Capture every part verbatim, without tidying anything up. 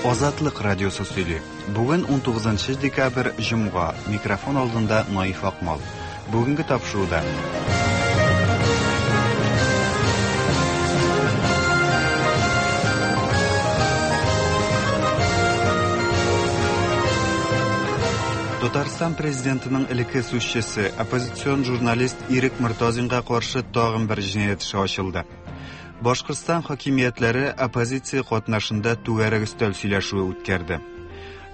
Азатлык радиосы сөйли. Бүген унтугызынчы декабрь, җомга. Микрофон алдында Наиф Акмал. Бүгенге тапшыруда Татарстан президентының элекке сүзчесе, оппозицион журналист Ирек Мортазинга каршы тагын бер җинаять эше ачылды. Башкортстан хакимиятләре оппозиция катнашында түгәрәк өстәл сөйләшүе үткәрде.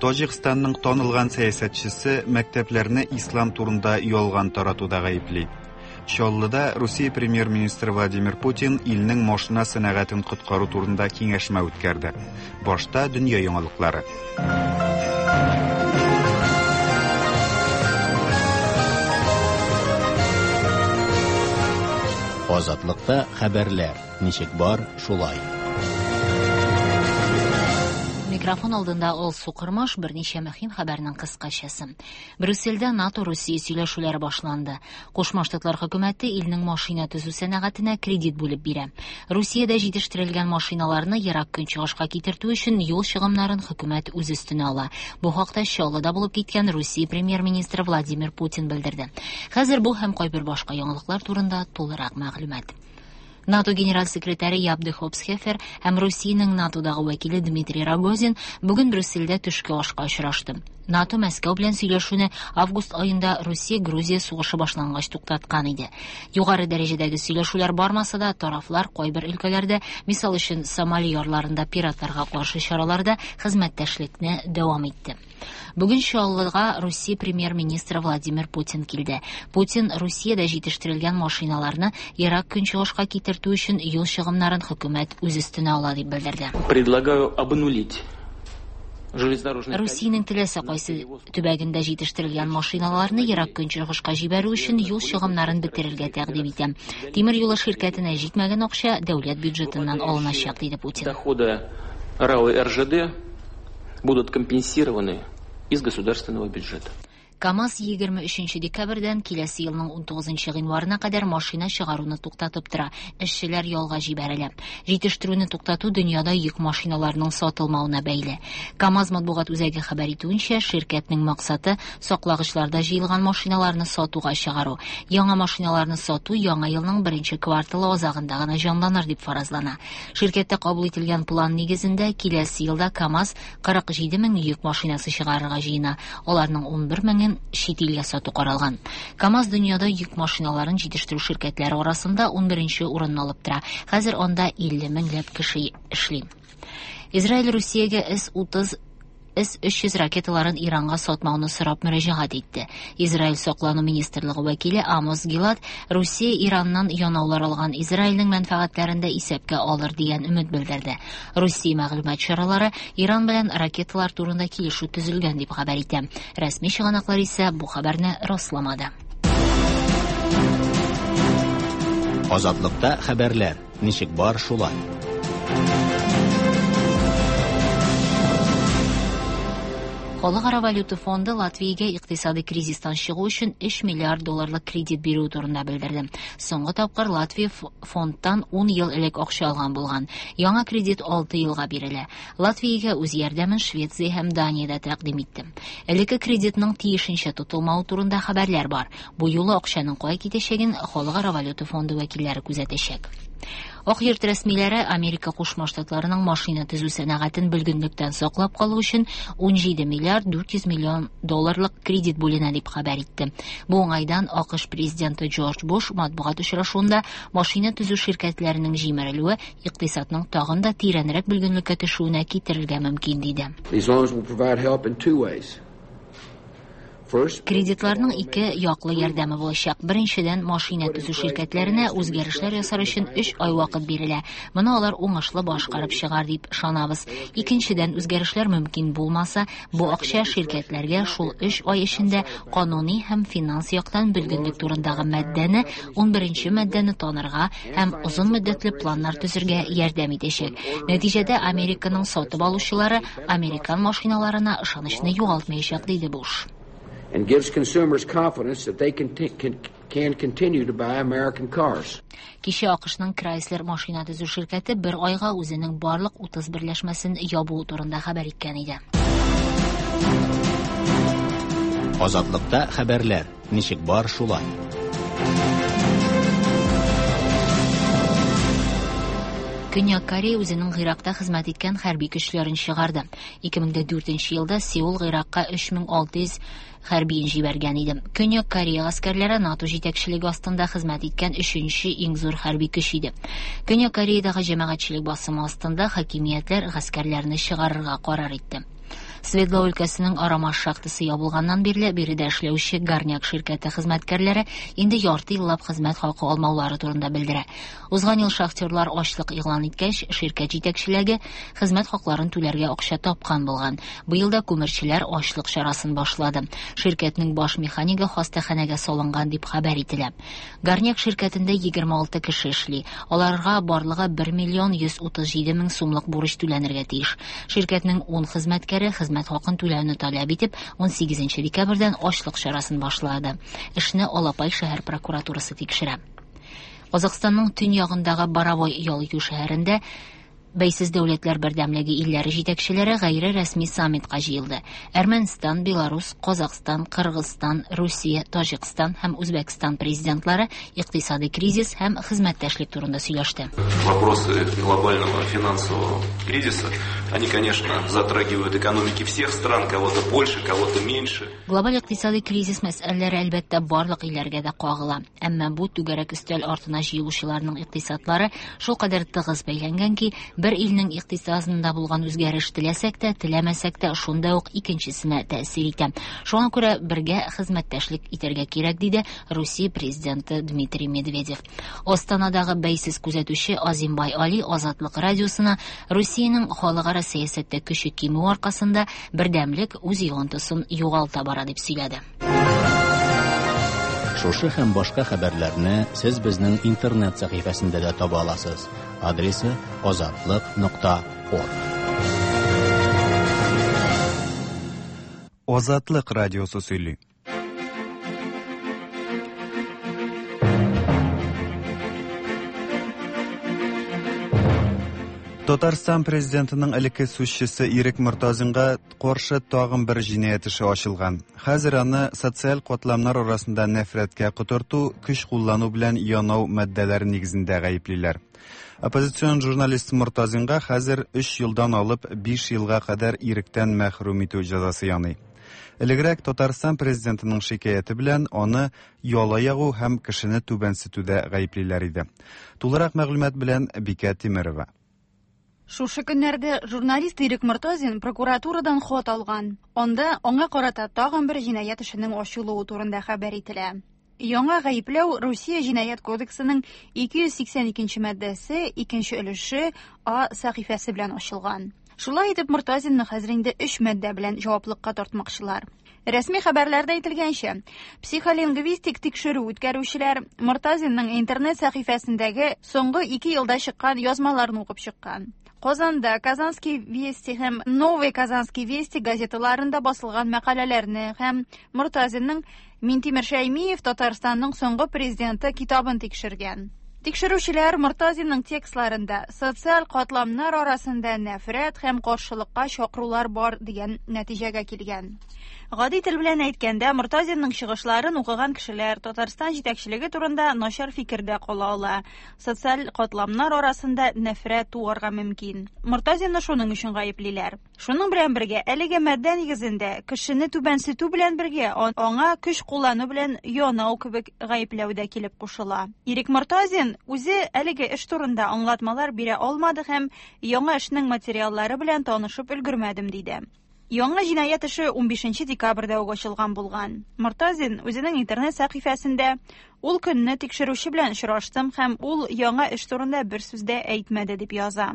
Таҗикстанның танылган сәясәтчесе мәктәпләрне ислам турында ялган таратуда гаепли. Чаллыда Русия премьер-министры Владимир Путин илнең машина сәнәгатен коткару турында киңәшмә үткәрде. Башта дөнья яңалыклары. Азатлыкта хәбәрләр ничек бар, шулай. Микрофон алдында Алсу Кырмаш, берничә мөһим хәбәрнең кыскачасы. Брюссельдә НАТО-Русия сөйләшүләре башланды. Кушма Штатлар хөкүмәте илнең машина төзү сәнәгатенә кредит бүлеп бирә. Русиядә җитештерелгән машиналарны ерак көнчыгышка китертү өчен юл чыгымнарын хөкүмәт үз өстенә ала. Бу хакта Чаллыда булып киткән Русия премьер-министры Владимир Путин белдерде. Хәзер бу һәм кайбер башка яңалыклар турында тулырак мәгълүмат. НАТО генераль секретаре Яп де Хоп Схефер һәм Русиянең НАТОдагы вәкиле Дмитрий Рогозин бүген Брюссельдә төшке ашка очрашты. НАТО Мәскәү белән сөйләшүне август аенда Русия-Грузия сугышы башлангач туктаткан иде. Югары дәрәҗәдәге сөйләшүләр бармаса да, тарафлар кайбер өлкәләрдә, мисал өчен Сомали ярларында пиратларга каршы чараларда хезмәттәшлекне дәвам итте. Бүген Чаллыга Русия премьер-министры Владимир Путин килде. Путин Русиядә җитештерелгән машиналарны ерак көнчыгышка китертү өчен юл чыгымнарын хөкүмәт үз өстенә ала дип белдерде. Предлагаю обнулить железнодорожный Русиянең теләсә кайсы төбәгендә җитештерелгән машиналарны ерак көнчыгышка җибәрү өчен юл чыгымнарын бетерергә тәкъдим итәм. Тимер юлы ширкәтенә җитмәгән акча дәүләт бюджетыннан алыначак, диде Путин. Доходы РАО и эр жэ дэ будут компенсированы из государственного бюджета. КАМАЗ егерме өченче декабрьдән киләсе елның унтугызынчы гыйнварына кадәр машина чыгаруны туктатып тора. Эшчеләр ялга җибәрелә. Җитештерүне туктату дөньяда йөк машиналарының сатылмавына бәйле. КАМАЗ матбугат үзәге хәбәр итүенчә, ширкәтнең максаты саклагычларда җыелган машиналарны сатуга чыгару. Яңа машиналарны сату яңа елның беренче кварталы азагында гына җанланыр дип фаразлана. Ширкәттә кабул ителгән план нигезендә киләсе елда КАМАЗ кырык җиде мең йөк машинасы чыгарырга җыена. Аларның унбер меңен чит илгә сату каралган. КАМАЗ дөньяда йөк машиналарын җитештерү ширкәтләре арасында унберенче урынны алып тора. Хәзер анда илле меңләп кеше эшли. Израиль Русиягә эс утыз, эс өч йөз ракеталарын Иранга сатмауны сорап мөрәҗәгать итте. Израиль саклану министрлыгы вәкиле Амос Гилад Русия Ираннан янаулар алган Израильнең мәнфәгатьләрен дә исәпкә алыр дигән өмет белдерде. Русия мәгълүмат чаралары Иран белән ракеталар турында килешү төзелгән дип хәбәр итә. Рәсми чыганаклар исә бу хәбәрне расламады. Азатлыкта хәбәрләр ничек бар, шулай. Халыкара валюта фонды Латвиягә икътисади кризистан чыгу өчен өч миллиард долларлык кредит бирү турында белдерде. Соңгы тапкыр Латвия ф-, фондтан ун ел элек акча алган булган. Яңа кредит алты елга бирелә. Латвиягә үз ярдәмен Швеция һәм Дания дә тәкъдим итте. Элекке кредитның тиешенчә тотылмавы турында хәбәрләр бар. Бу юлы акчаның кая китәчәген Халыкара валюта фонды вәкилләре күзәтәчәк. Ак йорт рәсмиләре Америка Кушма Штатларының машина төзү сәнәгатен бөлгенлектән саклап калу өчен ун җиде миллиард дүрт йөз миллион долларлык кредит бүленә дип хәбәр итте. Бу уңайдан А К Ш президенты Джордж Буш матбугат очрашуында машина төзү ширкәтләренең җимерелүе икътисадның тагын да тирәнрәк бөлгенлеккә төшүенә китерергә мөмкин диде. These loans will provide help in two ways. First, Кредитларның ике яклы ярдәме булачак. Беренчедән, машина төзү ширкәтләренә үзгәрешләр ясар өчен өч ай вакыт бирелә. Моны алар уңышлы башкарып чыгар дип ышанабыз. Икенчедән, үзгәрешләр мөмкин булмаса, бу акча ширкәтләргә шул өч ай эчендә кануни һәм финанс яктан бөлгенлек турындагы маддәне, унберенче маддәне танырга һәм озын мөддәтле планнар төзергә ярдәм итәчәк. Нәтиҗәдә Американың сатып алучылары американ машиналарына ышанычны югалтмаячак, диде Буш. and gives consumers confidence that they can, can, can continue to buy American cars. Кичә АКШның Chrysler машина төзү ширкәте бер айга үзенең барлык утыз берләшмәсен ябуы турында хәбәр иткән иде. Азатлыкта хәбәрләр ничек бар шулай. Көньяк Корея үзенең Гыйракта хезмәт иткән хәрби көчләрен чыгарды. ике мең дүртенче елда Сеул Гыйракка өч мең алты йөз хәрбиен җибәргән иде. Көньяк Корея гаскәрләре НАТО җитәкчелеге астында хезмәт иткән өченче иң зур хәрби көч иде. Көньяк Кореядагы җәмәгатьчелек басымы астында хакимиятләр гаскәрләрне чыгарырга карар итте. Свердлов өлкәсенең Арамаш шахтасы ябылганнан бирле биредә эшләүче Горняк ширкәте хезмәткәрләре инде ярты еллап хезмәт хакы алмаулары турында белдерә. Узган ел шахтерлар ачлык игълан иткәч, ширкәт җитәкчелеге хезмәт хакларын түләргә акча тапкан булган. Быел да күмерчеләр ачлык чарасын башлады. Ширкәтнең баш механигы хастаханәгә салынган дип хәбәр ителә. Горняк ширкәтендә егерме алты кеше эшли. Аларга барлыгы бер миллион йөз утыз җиде мең сумлык бурыч түләнергә тиеш. Ширкәтнең ун хезмәткәре хезмәт хакын түләүне таләп итеп, ун сигезенче декабрьдән ачлык чарасын башлады. Эшне Алапай шәһәр прокуратурасы тикшерә. Казакъстанның төньягындагы Боровой ял итү шәһәрендә Бәйсез дәүләтләр бердәмлеге илләре җитәкчеләре гайре рәсми саммитка җыелды. Әрмәнстан, Беларус, Казакъстан, Кыргызстан, Русия, Таҗикстан һәм Үзбәкстан президентлары икътисади кризис һәм хезмәттәшлек турында сөйләште. Вопросы глобального финансового кризиса, они, конечно, затрагивают экономики всех стран, кого-то больше, кого-то меньше. Глобаль икътисади кризис мәсьәләләре әлбәттә барлык илләргә дә кагыла. Әмма бу түгәрәк өстәл артына җыелучыларның икътисадлары шулкадәр тыгыз бәйләнгән ки, бер илнең икътисадында булган үзгәреш теләсәк тә, теләмәсәк тә шунда ук икенчесенә тәэсир итә. Шуңа күрә бергә хезмәттәшлек итәргә кирәк, диде Русия президенты Дмитрий Медведев. Астанадагы бәйсез күзәтүче Азимбай Али Азатлык радиосына Русиянең халыкара сәясәттә көче кимү аркасында бердәмлек үз йогынтысын югалта бара дип сөйләде. Шушы һәм башка хәбәрләрне сез безнең интернет сәхифәсендә дә таба аласыз. Адресы азатлык нокта орг. Азатлык радиосы сөйли. Татарстан президентының элекке сүзчесе Ирек Мортазинга каршы тагын бер җинаять эше ачылган. Хәзер аны социаль катламнар арасында нәфрәткә котырту, көч куллану белән янау маддәләре нигезендә гаеплиләр. Оппозицион журналист Мортазинга хәзер өч елдан алып биш елга кадәр иректән мәхрүм итү җәзасы яный. Элегрәк Татарстан президентының шикаяте белән аны яла ягу һәм кешене түбәнсетүдә гаеплиләр иде. Тулырак мәгълүмат белән Бикә Тимерова. Шушы көннәрдә журналист Ирек Мортазин прокуратурадан хат алган. Анда аңа карата тагын бер җинаять эшенең ачылуы турында хәбәр ителә. Яңа гаепләү Русия җинаять кодексының ике йөз сиксән икенче маддәсе, икенче өлеше А сәхифәсе белән ачылган. Шулай итеп Мортазинны хәзер инде өч маддә белән җаваплыкка тартмакчылар. Рәсми хәбәрләрдә әйтелгәнчә, психолингвистик тикшерү үткәрүчеләр Мортазинның интернет сәхифәсендәге соңгы ике елда чыккан язмаларын укып чыккан. Казанда Казанский вести һәм Новый Казанский вести газеталарында басылган мәкаләләрне һәм Мортазинның Минтимер Шәймиев Татарстанның соңгы президенты китабын тикшергән. Тикшерүчеләр Мортазинның текстларында социаль катламнар арасында нәфрәт һәм каршылыкка чакырулар бар дигән нәтиҗәгә килгән. Гади тел белән әйткәндә, Мортазинның чыгышларын укыган кешеләр Татарстан җитәкчелеге турында начар фикердә кала ала. Социаль катламнар арасында нәфрәт туарга мөмкин. Мортазинны шуның өчен гаеплиләр. Шуның белән бергә, әлеге маддә нигезендә кешене түбәнсетү белән бергә аңа көч куллану белән янау кебек гаепләү дә килеп кушыла. Ирек Мортазин үзе әлеге эш турында аңлатмалар бирә алмады һәм яңа эшнең материаллары белән танышып өлгермәдем диде. Яңа җинаять эше унбишенче декабрьдә үк ачылган булган. Мортазин үзенең интернет сәхифәсендә ул көнне тикшерүче белән очраштым һәм ул яңа эш турында бер сүз дә әйтмәде дип яза.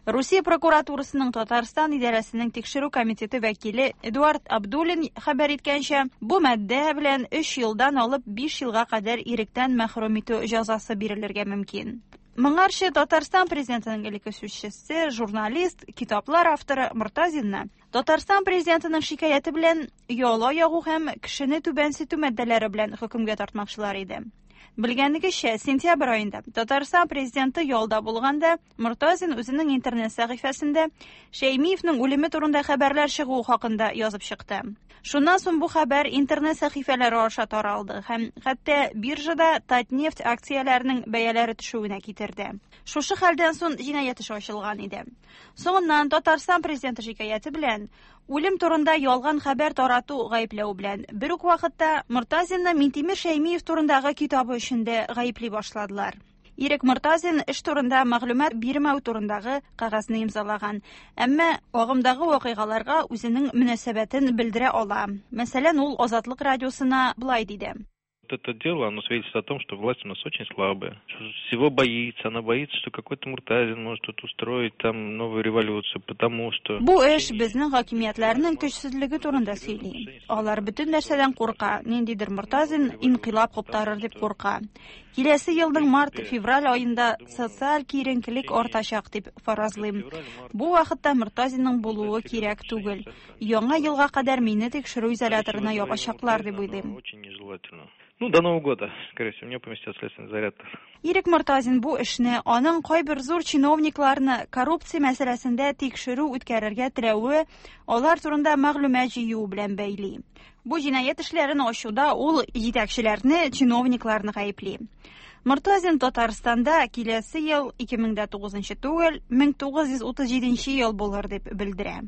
Русия прокуратурасының Татарстан идарәсенең тикшерү комитеты вәкиле Эдуард Абдуллин хәбәр иткәнчә, бу маддә белән өч елдан алып биш елга кадәр иректән мәхрүм итү җәзасы бирелергә мөмкин. Моңарчы Татарстан президентының элекке сүзчесе, журналист, китаплар авторы Мортазинны Татарстан президентының шикаяте белән яла ягу һәм кешене түбәнсетү маддәләре белән хөкемгә тартмакчылар иде. Белгәнегезчә, сентябрь аенда Татарстан президенты ялда булганда Мортазин үзенең интернет сәхифәсендә Шәймиевнең үлеме турында хәбәрләр чыгуы хакында язып чыкты. Шуннан соң бу хәбәр интернет сәхифәләре аша таралды һәм хәтта биржада Татнефть акцияләренең бәяләре төшүенә китерде. Шушы хәлдән соң җинаять эше ачылган иде. Соңыннан Татарстан президенты шикаяте белән үлем турында ялган хәбәр тарату гаепләү белән бер үк вакытта Мортазинны Минтимер Шәймиев турындагы китабы өчен дә гаепли башладылар. Ирек Мортазин эш турында мәгълүмат бирмәү турындагы кәгазьне имзалаган, әмма агымдагы вакыйгаларга үзенең мөнәсәбәтен белдерә ала. Мәсәлән, ул Азатлык радиосына былай диде. Это дело, оно свидетельствует о том, что власть у нас очень слабая. Всего боится, она боится, что какой-то Муртазин может тут устроить там новую революцию, потому что... Бу эш безнең хакимиятләрнең көчсезлеге турында сөйли. Алар бөтен нәрсәдән курка, ниндидер Муртазин инкыйлаб куптарыр дип курка. Киләсе елның март-февраль аенда социаль киеренкелек артачак дип фаразлыйм. Бу вакытта Муртазинның булуы кирәк түгел. Яңа елга кадәр мине тикшерү изоляторына ябачаклар дип уйлыйм. Ну, до Нового года, скорее всего, меня поместят в следственный изолятор. Ирек Мортазин бу эшне аның кайбер зур чиновникларны коррупция мәсьәләсендә тикшерү үткәрергә теләве, алар турында мәгълүмат җыю белән бәйли. Бу җинаять эшләрен ачуда ул җитәкчеләрне, чиновникларны гаепли. Мортазин Татарстанда киләсе ел ике мең дә тугызынчы түгел, мең тугыз йөз утыз җиденче ел булыр дип белдерә.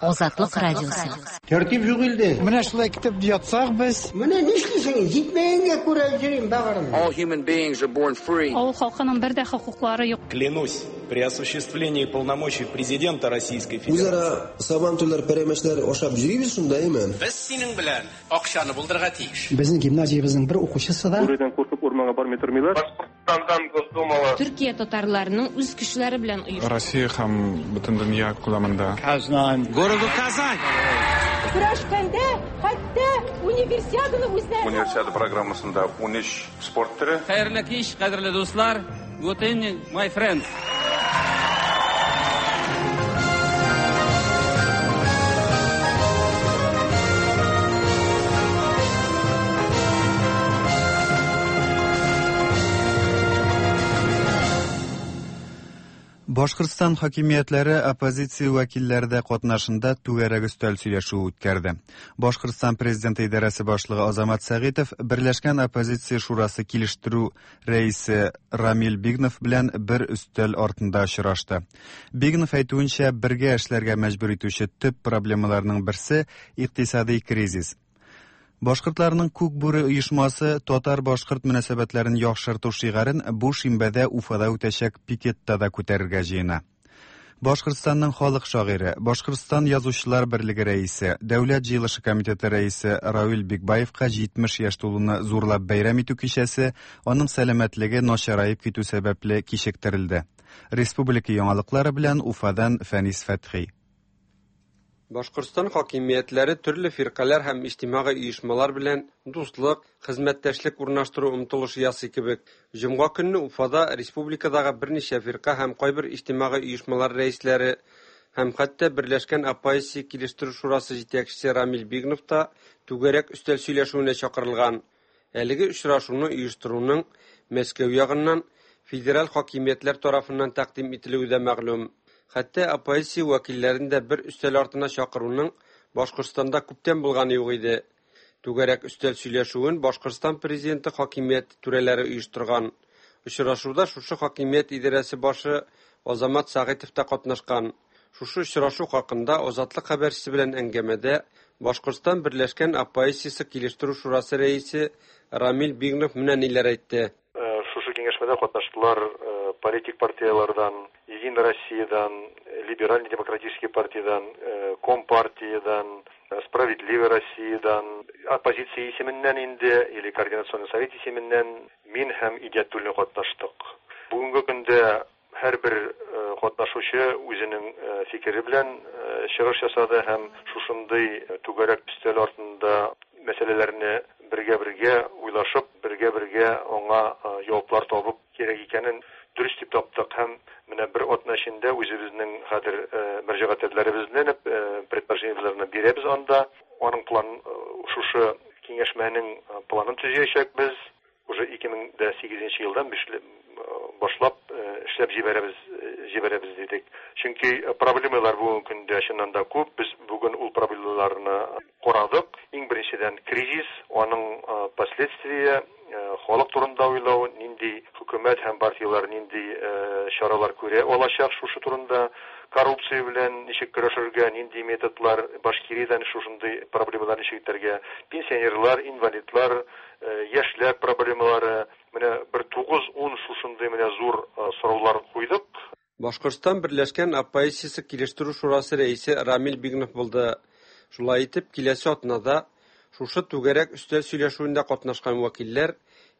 Азатлык радиосы. Тәртип юк илдә. Менә шулай китеп ятсак без. Менә нишлисең? Җитмәгәнгә күрә йөрим багырым. All human beings are born free. Авыл халкының бер дә хокуклары юк. Клянусь, при осуществлении полномочий президента Российской Федерации. Үзара сабантуйлар, пәрәмәчләр ашап йөрибез шунда, әйме? Без синең белән акчаны булдырырга тиеш. Безнең гимназиябезнең бер укучысы да Бүредән куркып урманга бармый тормыйлар. Башкортстандан Госдумага. Төркия татарларының үз көчләре белән оештырган. Россия һәм бөтен дөнья күләмендә. Казан. Городу Казань. Көрәшкәндә хәтта универсиаданы үзләре. Универсиада программасында ун өч спорт төре. Хәерле кич, кадерле дуслар. Good evening, my friends. Башкортстан хакимиятләре оппозиция вәкилләре дә катнашында түгәрәк өстәл сөйләшүе үткәрде. Башкортстан президенты идарәсе башлыгы Азамат Сәгыйтов Берләшкән оппозиция шурасы килештерү рәисе Рамил Бигнов белән бер өстәл артында очрашты. Бигнов әйтүенчә, бергә эшләргә мәҗбүр итүче төп проблемаларның берсе икътисади кризис. Башкортларның Күк бүре оешмасы татар-башкорт мөнәсәбәтләрен яхшырту шигарен бу шимбәдә Уфада үтәчәк пикетта да күтәрергә җыена. Башкортстанның халык шагыйре, Башкортстан язучылар берлеге рәисе, Дәүләт җыелышы комитеты рәисе Равил Бикбаевка җитмеш яшь тулуны зурлап бәйрәм итү кичәсе аның сәламәтлеге начараеп китү сәбәпле кичектерелде. Республика яңалыклары белән Уфадан Фәнис Фәтхи. Башкортстан хакимиятләре төрле фиркаләр һәм иҗтимагый оешмалар белән дуслык, хезмәттәшлек урнаштыру омтылышы ясый кебек. Җомга көнне Уфада республикадагы берничә фирка һәм кайбер иҗтимагый оешмалар рәисләре һәм хәтта Берләшкән оппозиция килештерү шурасы җитәкчесе Рамил Бигнов та түгәрәк өстәл сөйләшүенә чакырылган. Әлеге очрашуны оештыруның Мәскәү ягыннан федераль хакимиятләр тарафыннан тәкъдим ителүе дә мәгълүм. Хәтта оппозиция вәкилләрен дә бер өстәл артына чакыруның Башкортстанда күптән булганы юк иде. Түгәрәк өстәл сөйләшүен Башкортстан президенты хакимият түрәләре оештырган. Очрашуда шушы хакимият идарәсе башы Азамат Сәгыйтов та катнашкан. Шушы очрашу хакында Азатлык хәбәрчесе белән әңгәмәдә Башкортстан Берләшкән оппозициясе килештерү шурасы рәисе Рамил Бигнов менә ниләр әйтте. Шушы киңәшмәдә катнаштылар политик партиялардан, Единая Россиядан, Либеральный демократический партиядан, Компартиядан, Справедливая Россиядан, оппозиция исеменнән инде, или Координационный совет исеменнән мин һәм Идиятуллин катнаштык. Бүгенге көндә һәрбер катнашучы үзенең фикере белән чыгыш ясады һәм шушындый түгәрәк өстәл артында мәсьәләләрне бергә-бергә Аңа җаваплар табып кирәк икәнен дөрес дип таптык һәм менә бер атна эчендә үзебезнең хәзер мөрәҗәгатьләребезне, предложениеләрне бирәбез анда. Аның план шушы киңәшмәнең планын төзәячәкбез. Уже ике мең дә сигезенче елдан башлап эшләп җибәрәбез, җибәрәбез дидек. Чөнки проблемалар бүгенге көндә чыннан да күп. Без бүген ул проблемаларны карадык. Иң беренчедән кризис, аның последствия, халык турында уйлау, нинди хөкүмәт һәм партияләр нинди чаралар күрә алачак шушы турында, коррупция белән ничек көрәшергә, нинди методлар, Башкириядән шушындый проблемалар ничек итәргә, пенсионерлар, инвалидлар, яшьләр проблемалары, менә бер тугыз-ун шушындый менә зур сораулар куйдык. Башкортстан Берләшкән оппозициясе килештерү шурасы рәисе Рамил Бигнов булды. Шулай итеп, киләсе атнада шушы түгәрәк өстәл сөйләшүендә катнашкан вәкилләр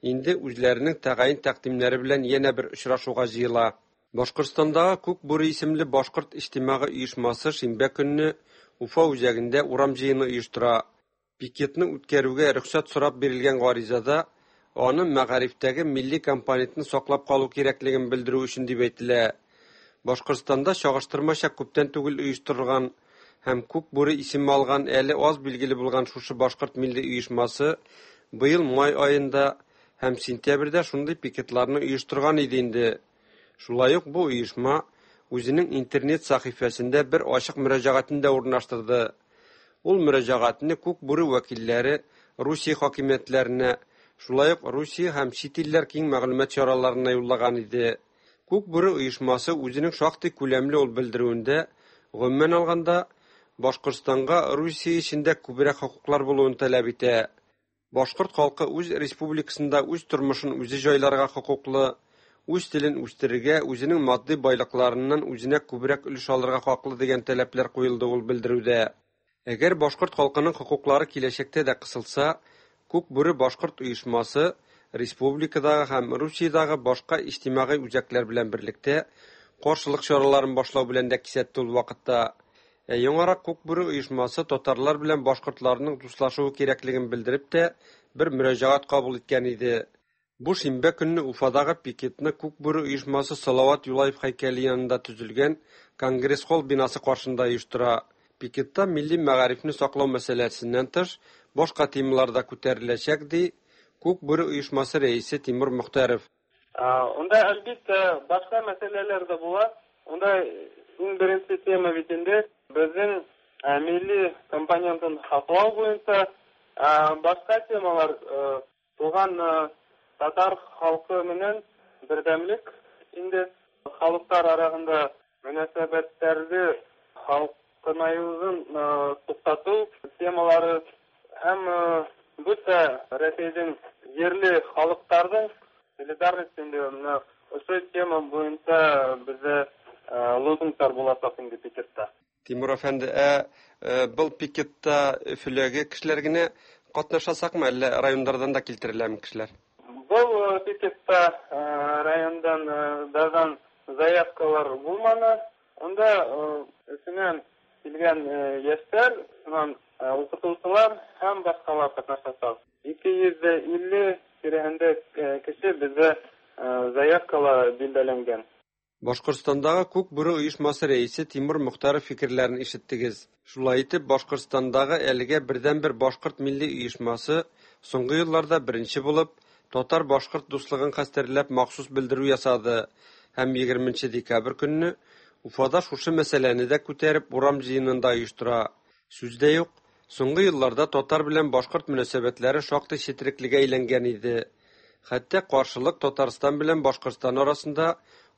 инде үзләренең тәгаен тәкъдимнәре белән янә бер очрашуга җыела. Башкортстандагы Күк бүре исемле башкорт иҗтимагый оешмасы шимбә көнне Уфа үзәгендә урам җыены оештыра. Пикетны үткәрүгә рөхсәт сорап бирелгән гаризада аны мәгарифтәге милли компонентны саклап калу кирәклеген белдерү өчен дип әйтелә. Башкортстанда чагыштырмача күптән түгел оештырылган һәм Күк бүре исеме алган әле аз билгеле булган шушы башкорт милли оешмасы быел май аенда һәм сентябрьдә шундый пикетларны оештырган иде инде. Шулай ук бу оешма үзенең интернет сәхифәсендә бер ачык мөрәҗәгатен дә урнаштырды. Ул мөрәҗәгатьне Күк бүре вәкилләре Русия хакимиятләренә, шулай ук Русия һәм чит илләр киң мәгълүмат чараларына юллаган иде. Күк бүре оешмасы үзенең шактый күләмле ул белдерүендә, гомумән алганда, Башкортстанга Русия эчендә күбрәк хокуклар булуын таләп итә. Башкорт халкы үз республикасында үз тормышын үзе җайларга хокуклы, үз телен үстерергә, үзенең матди байлыкларыннан үзенә күбрәк өлеш алырга хаклы дигән таләпләр куелды ул белдерүдә. Әгәр башкорт халкының хокуклары киләчәктә дә кысылса, Күк бүре башкорт оешмасы республикадагы һәм Русиядәге башка иҗтимагый үзәкләр белән берлектә каршылык чараларын башлау белән дә кисәтте ул вакытта. Ә яңарак Күк бүре оешмасы татарлар белән башкортларның дуслашуы кирәклеген белдереп тә бер мөрәҗәгать кабул иткән иде. Бу шимбә көнне Уфадагы пикетны Күк бүре оешмасы Салават Юлаев һәйкәле янында төзелгән Конгресс-холл бинасы каршында оештыра. Пикетта милли мәгарифне саклау мәсьәләсеннән тыш башка темалар да күтәреләчәк, ди Күк бүре оешмасы рәисе Тимур Мөхтәров. Унда әлбиттә башка мәсьәләләр дә була. Унда иң беренче тема бит инде безнең милли компонентын саклау буенча башка темалар туган татар халкы менән бердәмлек, инде халыклар арасында мөнәсәбәтләрне халкынаюын туктату темалары һәм бөтә Рәсәйнең җирле халыкларның солидарность инде менә ошо тема буенча бездә лозунглар булачак инде пикетта. Тимур әфәнде, ә был пикетта Өфөләге кешеләр генә катнашасакмы, әллә районнардан да килтереләме кешеләр? Был пикетта райондан дадан заявкалар булманы. Унда Өфөнән килгән яшьләр, шуннан укытучылар һәм башкалар катнашачак. Ике йөз илле тирәһендә кеше бездә заявкалар билгеләнгән. Башкортстандагы Күк бүре оешмасы рәисе Тимур Мөхтәров фикерләрен ишеттегез. Шулай итеп, Башкортстандагы әлегә бердәнбер башкорт милли оешмасы соңгы елларда беренче булып татар-башкорт дуслыгын хәстәрләп махсус белдерү ясады һәм егерменче декабрь көнне Уфада шушы мәсьәләне дә күтәреп урам җыенында оештыра. Сүз дә юк, соңгы елларда татар белән башкорт мөнәсәбәтләре шактый четереклегә әйләнгән иде. Хәтта каршылык Татарстан белән Башкортстан арасында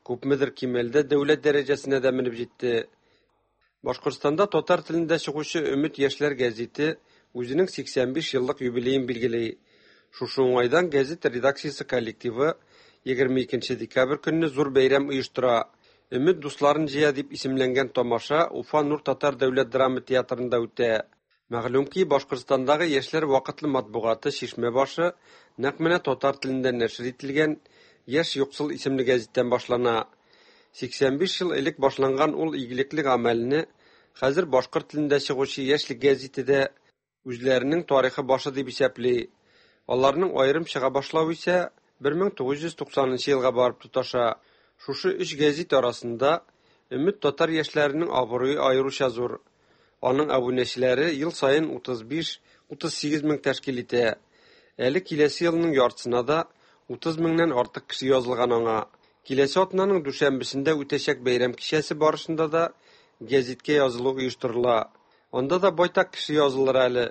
күпмедер кимәлдә дәүләт дәрәҗәсенә дә менеп җитте. Башкортстанда татар телендә чыгучы Өмет яшьләр гәзите үзенең сиксән биш еллык юбилеен билгели. Шушы уңайдан гәзит редакциясе коллективы егерме икенче декабрь көнне зур бәйрәм оештыра. Өмет дусларын җыя дип исемләнгән тамаша Уфа Нур татар дәүләт драма театрында үтә. Мәгълүм ки, Башкортстандагы яшьләр вакытлы матбугаты Чишмә башы нәкъ менә татар телендә нәшер ителгән Яшь юксыл исемле гәзиттән башлана. Сиксән биш ел элек башланган ул игелекле гамәлне хәзер башкорт телендә чыгучы Яшьлек гәзите дә үзләренең тарихы башы дип исәпли. Аларның аерым чыга башлавы исә бер мең тугыз йөз туксанынчы елга барып тоташа. Шушы өч гәзит арасында Өмет татар яшьләренең абруе аеруча зур. Аның абунәчеләре ел саен утыз биш утыз сигез мең тәшкил итә. Әле киләсе елның яртысына да утыз меңнән артык кеше язылган аңа. Киләсе атнаның дүшәмбесендә үтәчәк бәйрәм кичәсе барышында да гәзиткә язылу оештырыла. Анда да байтак кеше язылыр әле.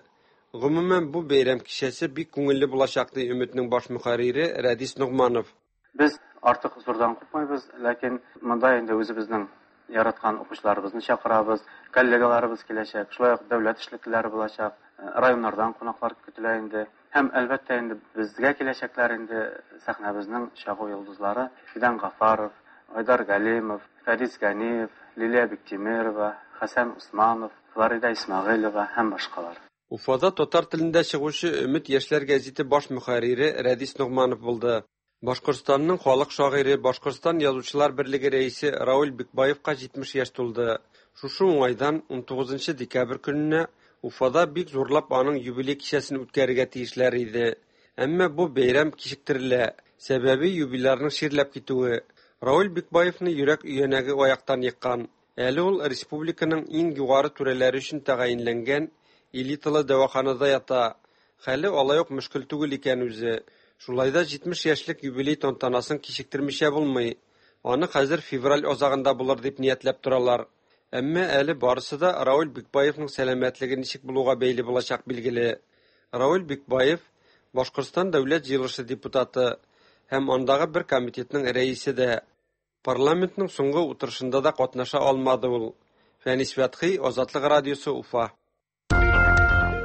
Гомумән, бу бәйрәм кичәсе бик күңелле булачак, ди Өметнең баш мөхәррире Рәдис Ногманов. Без артык зурдан куркмайбыз, ләкин монда инде үзебезнең яраткан укучыларыбызны чакырабыз, коллегаларыбыз киләчәк, шулай ук дәүләт эшлеклеләре булачак, районнардан кунаклар көтелә инде. Һәм әлбәттә инде безгә киләчәкләр инде сәхнәбезнең чагу йолдызлары Фидан Гафаров, Айдар Галимов, Фәрис Ганиев, Лилия Биктимирова, Хәсән Усманов, Флорида Исмәгыйлева һәм башкалар. Уфада татар телендә чыгучы Өмет яшьләр гәзите баш мөхәррире Рәдис Ногманов булды. Башкортстанның халык шагыйре, Башкортстан Язучылар берлеге рәисе Равил Бикбаевка җитмеш яшь тулды. Шушы уңайдан ун тугызынчы декабрь көненә Уфада бик зурлап аның юбилей кичәсен үткәрергә тиешләр иде. Әмма бу бәйрәм кичектерелә. Сәбәбе юбилярның чирләп китүе. Равил Бикбаевны йөрәк өянәге аяктан еккан. Әле ул республиканың иң югары түрәләре өчен тәгаенләнгән элиталы дәваханада ята. Хәле алай ук мөшкел түгел икән үзе. Шулай да җитмеш яшьлек юбилей тантанасын кичектермичә булмый. Аны хәзер февраль азагында булыр дип ниятләп торалар. Әмма әле барысы да Равил Бикбаевның сәламәтлеге ничек булуга бәйле булачак билгеле. Равил Бикбаев Башкортстан дәүләт җыелышы депутаты һәм андагы бер комитетның рәисе дә. Парламентның соңгы утырышында да катнаша алмады ул. Фәнис Фәтхи, Азатлык радиосы, Уфа.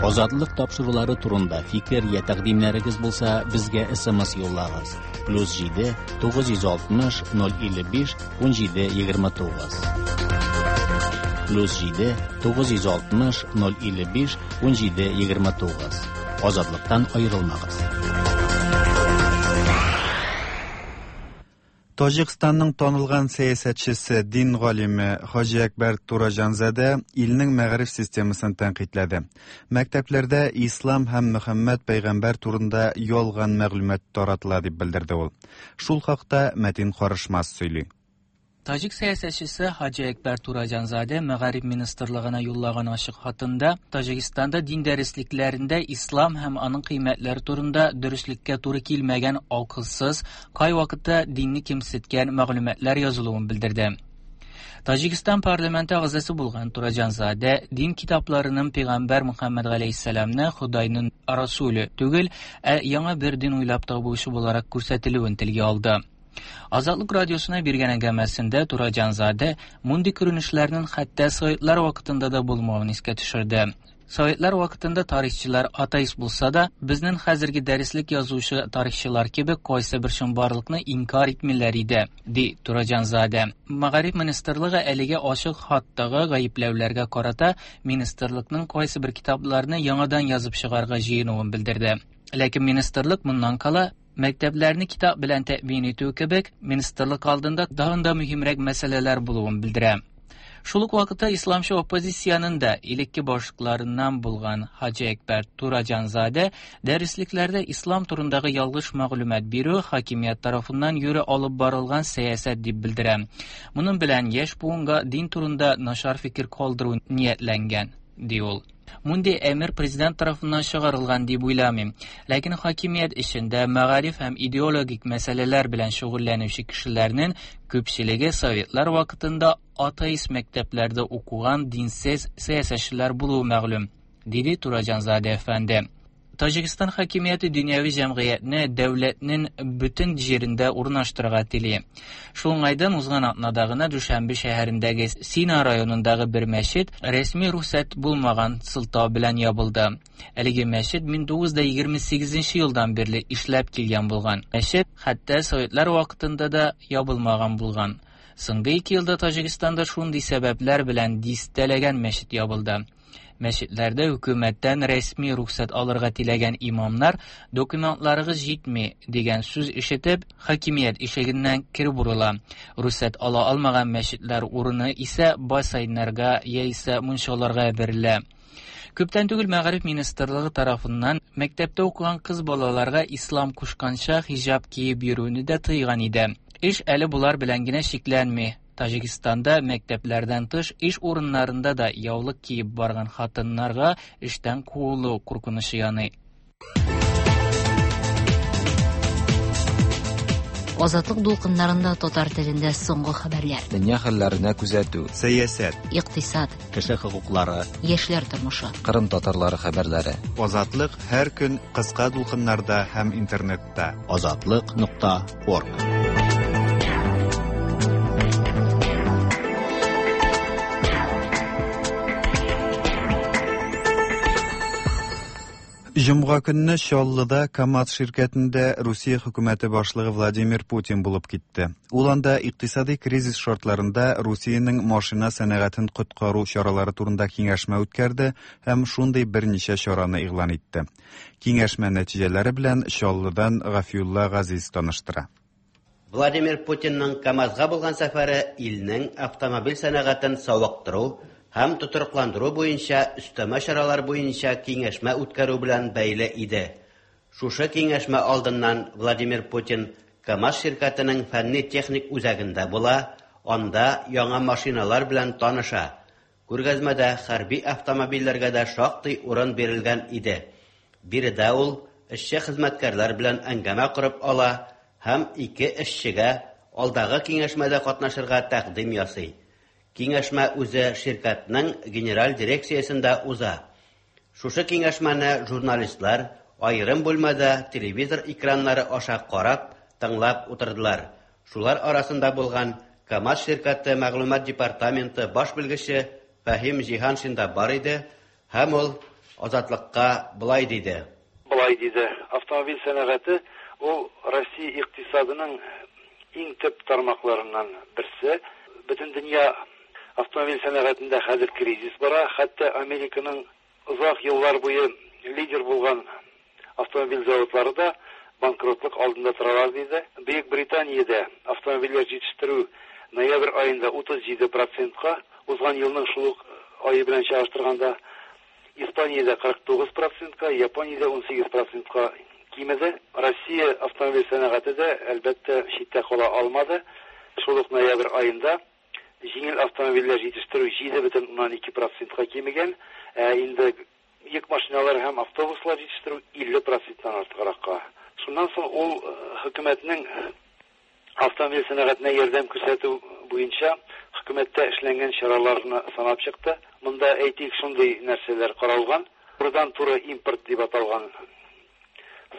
Азатлык тапшырулары турында фикер я тәкъдимнәрегез булса, безгә С М С юллагыз. Плюс җиде тугыз йөз алтмыш ноль илле биш ун җиде егерме тугыз. Плюс җиде тугыз йөз алтмыш ноль илле биш ун җиде егерме тугыз. Азатлыктан аерылмагыз. Таҗикстанның танылган сәясәтчесе, дин галиме Хаҗи Әкбәр Тураҗанзадә илнең мәгариф системасын тәнкыйтьләде. Мәктәпләрдә ислам һәм Мөхәммәд пәйгамбәр турында ялган мәгълүмат таратыла дип белдерде ул. Шул хакта Мәтин Карышмас сөйли. Таҗик сәясәтчесе Хаҗи Әкбәр Тураҗанзадә Мәгариф министрлыгына юллаган ачык хатында Таҗикстанда дин дәреслекләрендә ислам һәм аның кыйммәтләре турында дөреслеккә туры килмәгән акылсыз, кайвакытта динне кимсеткән мәгълүматлар язылуын белдерде. Таҗикстан парламенты әгъзасы булган Тураҗанзадә дин китапларының пәйгамбәр Мөхәммәд галәйһиссәламне Худайның расуле түгел, ә яңа бер дин уйлап табучы буларак күрсәтелүен телгә алды. Азатлык радиосына биргән әңгәмәсендә Тураҗанзадә мондый күренешләрнең хәтта советлар вакытында да булмавын искә төшерде. Советлар вакытында тарихчылар атеист булса да, безнең хәзерге дәреслек язучы тарихчылар кебек кайсы бер чынбарлыкны инкар итмиләр иде, ди Тураҗанзадә. Мәгариф министрлыгы әлегә ачык хаттагы гаепләүләргә карата министрлыкның кайсы бер китапларны яңадан язып чыгарга җыенуын белдерде. Ләкин министрлык моннан кала мәктәпләрне китап белән тәэмин итү кебек министрлык алдында тагын да мөһимрәк мәсьәләләр булуын белдерә. Шул ук вакытта исламчы оппозициянең дә элекке башлыкларыннан булган Хаҗи Әкбәр Тураҗанзадә дәреслекләрдә ислам турындагы ялгыш мәгълүмат бирү хакимият тарафыннан юри алып барылган сәясәт дип белдерә. Моның белән яшь буынга дин турында начар фикер калдыру ниятләнгән, ди ул. Мондый әмер президент тарафыннан чыгарылган дип уйламыйм. Ләкин хакимият эчендә мәгариф һәм идеологик мәсьәләләр белән шөгыльләнүче кешеләрнең күпчелеге советлар вакытында атеист мәктәпләрдә укыган динсез сәясәтчеләр булуы мәгълүм, диде Тураҗанзадә әфәнде. Таҗикстан хакимияте дөньяви җәмгыятьне дәүләтнең бөтен җирендә урнаштырырга тели. Шул уңайдан узган атнада гына Дүшәнбе шәһәрендәге Сина районындагы бер мәчет рәсми рөхсәт булмаган сылтау белән ябылды. Әлеге мәчет мең тугыз йөз егерме сигезенче елдан бирле эшләп килгән булган. Мәчет хәтта советлар вакытында да ябылмаган булган. Соңгы ике елда Таҗикстанда шундый сәбәпләр белән дистәләгән мәчет ябылды. Мәчетләрдә хөкүмәттән рәсми рөхсәт алырга теләгән имамнар документларыгыз җитми дигән сүз ишетеп, хакимият ишегеннән кире борыла. Рөхсәт ала алмаган мәчетләр урыны исә бассейннарга яисә мунчаларга бирелә. Күптән түгел Мәгариф министрлыгы тарафыннан мәктәптә укыган кыз балаларга ислам кушканча хиҗап киеп йөрүне дә тыйган иде. Эш әле болар белән генә чикләнми. Таҗикстанда мәктәпләрдән тыш эш урыннарында да яулык киеп барган хатыннарга эштән куылу куркынычы яный. Азатлык дулкыннарында татар телендә соңгы хәбәрләр. Дөнья хәлләренә күзәтү. Сәясәт, икътисад, кеше хокуклары, яшьләр тормышы. Кырым татарлары хәбәрләре. Азатлык һәр көн кыска дулкыннарда һәм интернетта. Азатлык нокта орг. Җомга көнне Чаллыда КАМАЗ ширкәтендә Русия хөкүмәте башлыгы Владимир Путин булып китте. Ул анда икътисади кризис шартларында Русиянең машина сәнәгатен коткару чаралары турында киңәшмә үткәрде һәм шундый берничә чараны игълан итте. Киңәшмә нәтиҗәләре белән Чаллыдан Гафиулла Газиз таныштыра. Владимир Путинның КАМАЗга булган сәфәре илнең автомобиль сәнәгатен савыктыру һәм тотрыкландыру буенча өстәмә чаралар буенча киңәшмә үткәрү белән бәйле иде. Шушы киңәшмә алдыннан Владимир Путин КАМАЗ ширкәтенең фәнни-техник үзәгендә була, анда яңа машиналар белән таныша. Күргәзмәдә хәрби автомобильләргә дә шактый урын бирелгән иде. Биредә ул эшче хезмәткәрләр белән әңгәмә корып ала һәм ике эшчегә алдагы киңәшмәдә катнашырга тәкъдим ясый. Киңәшмә үзе ширкәтнең генераль дирекциясендә уза. Шушы киңәшмәне журналистлар аерым бүлмәдә телевизор экраннары аша карап, тыңлап утырдылар. Шулар арасында булган КАМАЗ ширкәте мәгълүмат департаменты баш белгече Фәһим Җиһаншин да бар иде һәм ул Азатлыкка былай диде. Былай диде. Автомобиль сәнәгате ул Россия икътисадының иң төп тармакларыннан берсе. Бөтен дөнья автомобиль сәнәгатендә хәзер кризис бара. Хәтта Американың озак еллар буе лидер булган автомобиль заводлары да банкротлык алдында торалар диде. Бөек Британиядә автомобильләр җитештерү ноябрь аенда утыз җиде процентка, узган елның шул ук ае белән чагыштырганда Испаниядә кырык тугыз процентка, Япониядә ун сигез процентка кимеде. Россия автомобиль сәнәгате дә әлбәттә читтә кала алмады. Шул ук ноябрь аенда җиңел автомобильләр җитештерү җиде бөтен уннан ике процентка кимегән, ә инде йөк машиналары һәм автобуслар җитештерү илле проценттан артыгракка. Шуннан соң ул хөкүмәтнең автомобиль сәнәгатенә ярдәм күрсәтү буенча хөкүмәттә эшләнгән чараларны санап чыкты. Монда әйтик шундый нәрсәләр каралган. Турыдан-туры импорт дип аталган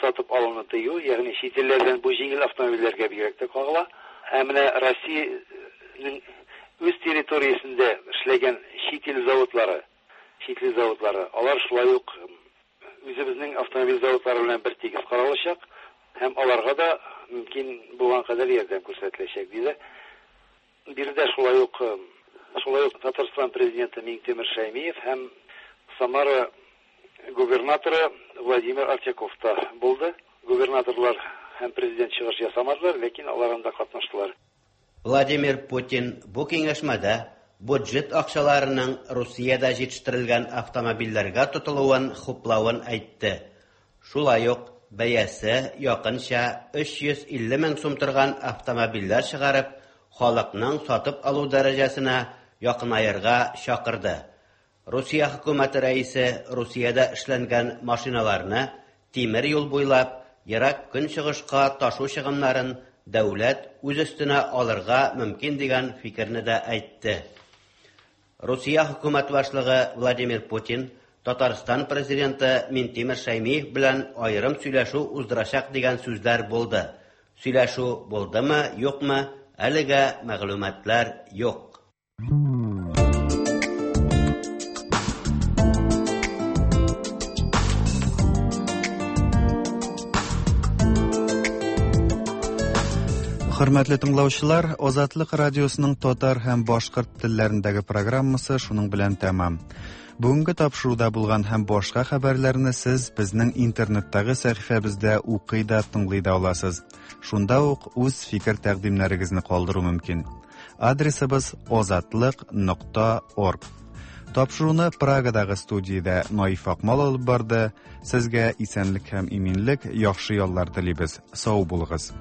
сатып алуны тыю, ягъни чит илләрдән бу җиңел автомобильләргә бигрәк тә кагыла. Ә менә Россиянең үз территориясендә эшләгән чит ил заводлары, чит ил заводлары, алар шулай ук үзебезнең автомобиль заводлары белән бер тигез каралачак һәм аларга да мөмкин булган кадәр ярдәм күрсәтеләчәк диде. Биредә шулай ук шулай ук Татарстан президенты Миңтимер Шәймиев һәм Самара губернаторы Владимир Артяков та булды. Губернаторлар һәм президент чыгыш ясамадылар, ләкин алар анда катнаштылар. Владимир Путин бу киңәшмәдә бюджет акчаларының Русиядә җитештерелгән автомобильләргә тотылуын хуплавын әйтте. Шулай ук бәясе якынча өч йөз илле мең сум торган автомобильләр чыгарып, халыкның сатып алу дәрәҗәсенә якынаерга чакырды. Русия хөкүмәте рәисе Русиядә эшләнгән машиналарны тимер юл буйлап ерак көнчыгышка ташу чыгымнарын дәүләт үз өстенә алырга мөмкин дигән фикерне дә әйтте. Русия хөкүмәт башлыгы Владимир Путин Татарстан президенты Минтимер Шәймиев белән аерым сөйләшү уздырачак дигән сүзләр булды. Сөйләшү булдымы, юкмы, әлегә мәгълүматлар юк. Хөрмәтле тыңлаучылар, Азатлык радиосының татар һәм башкорт телләрендәге программасы шуның белән тәмам. Бүгенге тапшыруда булган һәм башка хәбәрләрне сез безнең интернеттагы сәхифәбездә укый да, тыңлый да аласыз. Шунда ук үз фикер тәкъдимнәрегезне калдыру мөмкин. Адресыбыз азатлык нокта орг. Тапшыруны Прагадагы студиядә Наиф Акмал алып барды. Сезгә исәнлек һәм иминлек, яхшы яллар телибез. Сау булыгыз.